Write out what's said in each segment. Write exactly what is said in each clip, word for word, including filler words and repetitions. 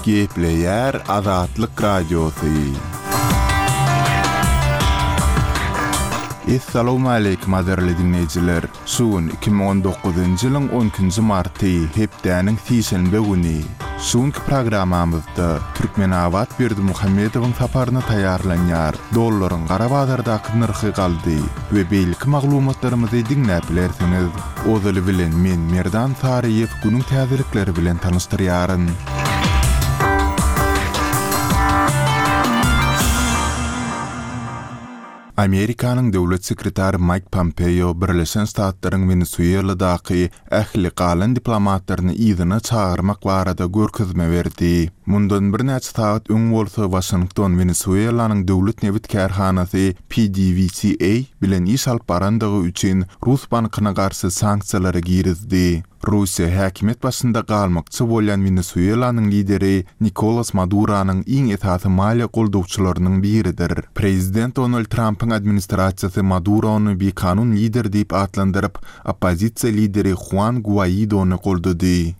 Gepleýär Azatlyk Radiosy. Essalawmaleýkim gadyrly diňleýjiler! Şu gün iki müň on dokuzynjy ýylyň on ikinji marty, hepdäniň sişenbe güni. Şu günki programmamyzda Türkmenabat Berdimuhamedowyň saparyna taýýarlanýar, dollaryň gara bazardaky nyrhy galdy we beýleki maglumatlarymyzy diňläp bilersiňiz. Ozaly bilen men Merdan Saryýew günüň täzelikleri bilen tanyşdyrýaryn. Amerikanyň döwlet sekretary Maýk Pompeo Birleşen Ştatlaryň Wenesueladaky ähli galan diplomatlaryny yzyna çagyrmak barada görkezme berdi. Mundan birnäçe sagat öň bolsa Waşington Wenesuelanyň döwlet nebit kärhanasy P D V S A bilen iş alyp barandygy üçin Rus bankyna garşy sanksiýalary girizdi. Russiýa häkimiýet başynda galmakçy bolýan Wenesuelanyň lideri Nikolas Maduronyň iň esasy maliýe goldawçylarynyň biridir. Prezident Donald Trumpyň administrasiýasy Madurony bikanun lider diýip atlandyryp, oppozisiýa lideri Juan Guaidony goldady.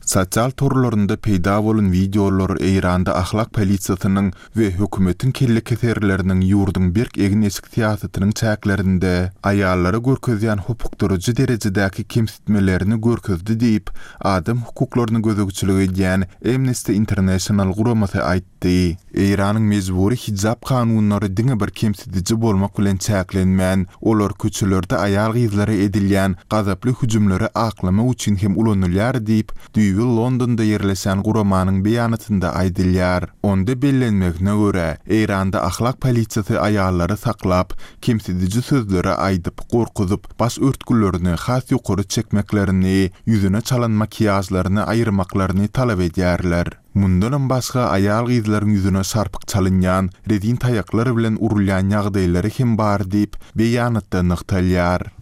Sosial torlarynda peýda bolan wideolar Eýranda ahlak polisiýasynyň we hökümetiň kelle keserleriniň ýurduň berk egin-eşik syýasatynyň çäklerinde aýallara görkezýän hopukdyryjy derejedäki kemsitmelerini görkezdi diýip, adam hukuklaryny gözegçilik edýän Amnesty International guramasy aýtdy. Eýranyň mejbury hijab kanunlary diňe bir kemsidiji bolmak bilen çäklenmän, olar köçelerde aýal-gyzlara edilýän gazaply hüjümleri aklamak üçin hem ulanylýar diýip, düýbi Londonda ýerleşen guramanyň beýanatynda aýdylýar. Onda bellenmegine görä, Eýranda ahlak polisiýasy aýallary saklap, kemsidiji sözleri aýdyp, gorkuzyp, baş örtgülerini has ýokary çekmeklerini, ýüzüne çalan makiýajlaryny aýyrmaklaryny talap edýärler. Mundanam başga aýal-gyzlaryň ýüzüne şarpyk çalynýan, rezin taýaklar bilen urulýan ýagdaýlary hem bar diýip, beýanatda nygtalýar.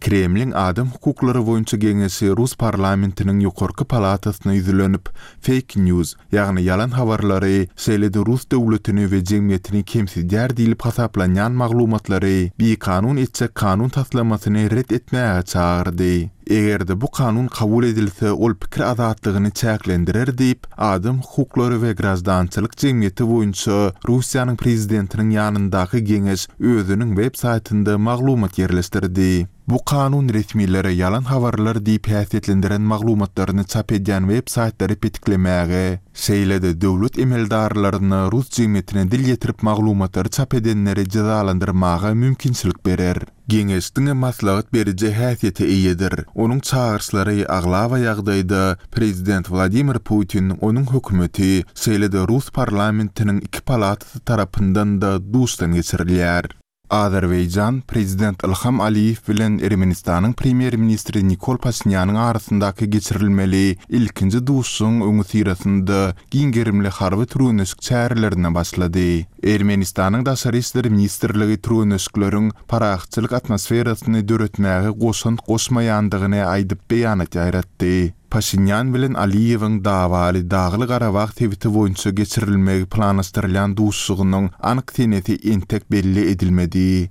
Kremliň adam hukuklary boýunça geňeşi Rus parlamentiniň ýokarky palatasyna ýüzlenip, fake news, ýagny ýalan habarlary, şeýle-de Rus döwletini we jemgyýetini kemsidýär diýlip hasaplanýan maglumatlary bikanun etjek kanun taslamasyny ret etmäge çagyrdy. Eger-de bu kanun kabul edilse, ol pikir azatlygyny çäklendirer diýip, adam hukuklary we graždançylyk jemgyýeti boýunça Russiýanyň prezidentiniň ýanyndaky geňeş özüniň web saýtynda maglumat ýerleşdirdi. Bu kanun resmilere ýalan habarlar diýip häsiýetlendiren maglumatlaryny çap edýän web saýtlary petiklemäge, şeýle-de döwlet emeldarlaryna Rus jemgyýetine dil ýetirip maglumatlary çap edenleri jezalandyrmaga mümkinçilik berer. Geňeş diňe maslahat beriji häsiýete eýedir. Onuň çagyryşlary aglaba ýagdaýda prezident Wladimir Putin, onuň hökümeti, şeýle-de Rus parlamentiniň iki palatasy tarapyndan da duşdan geçirilýär. Azerbaýjan prezident Ilham Aliýew bilen Ermenistanyň premýer-ministri Nikol Paşinýanyň arasyndaky geçirilmeli ilkinji duşuşygyň öňüsyrasynda giň gerimli harby türgenleşik çärelerine başlady. Ermenistanyň Daşary işler ministrligi türgenleşikleriň parahatçylyk atmosferasyny döretmäge goşant goşmaýandygyny aýdyp beýanat ýaýratdy. Paşinýan bilen Aliýewiň dawaly Dagly Garabag sebiti boýunça geçirilmegi planlaşdyrylýan duşuşygynyň anyk senesi entek belli edilmedi.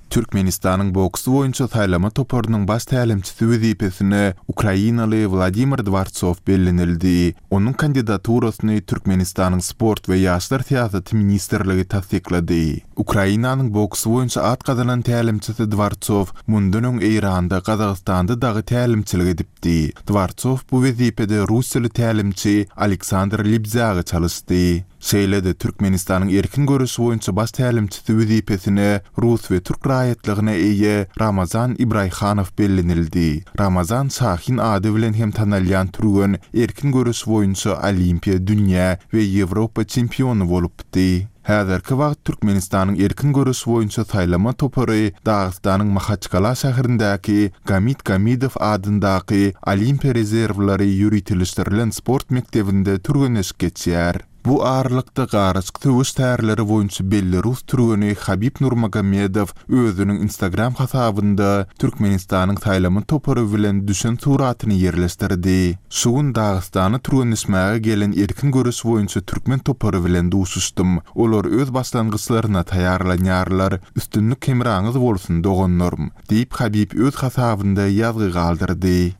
Türkmenistanyň boks boýunça saýlama toparynyň baş tälimçisi wezipesine Ukrainaly Wladimir Dworcow bellenildi. Onuň kandidaturasyny Türkmenistanyň Sport we Ýaşlar syýasaty ministrligi tassyklady. Ukrainanyň boks boýunça at gazanan tälimçisi Dworcow mundan öň Eýranda, Gazagystanda dagy tälimçilik edipdi. Dworcow bu wezipede Russiýaly tälimçi Aleksandr Libzýaga çalyşdy. Şeýle-de Türkmenistanyň erkin görüşi boýunça baş tälimçisi wezipesine Rus we türk raýatlygyna eýe Ramazan Ibraýhanow bellenildi. Ramazan Şahin ady bilen hem tanalýan türgen erkin görüş boýunça Olimpiýa, dünýä we Ýewropa çempiony bolupdy. Häzirki wagt Türkmenistanyň erkin görüş boýunça saýlama topary Dagystanyň Mahaçkala şäherindäki Gamit Gamidow adyndaky Olimpiýa rezerwleri ýöriteleşdirilen sport mekdebinde türgenleşik geçýär. Bu aralykda garyşyk söweş tärleri boýunça belli rus türgeni Habib Nurmagomedow özüniň Instagram hasabynda Türkmenistanyň saýlama topary bilen düşen suratyny ýerleşdirdi. Şu gün Dagystana türgenleşmäge gelen erkin görüş boýunça türkmen topary bilen duşuşdym. Olar öz başlangyçlaryna taýýarlanýarlar. Üstünlik hemraňyz bolsun doganlarym, diýip Habib öz hasabynda ýazgy galdyrdy.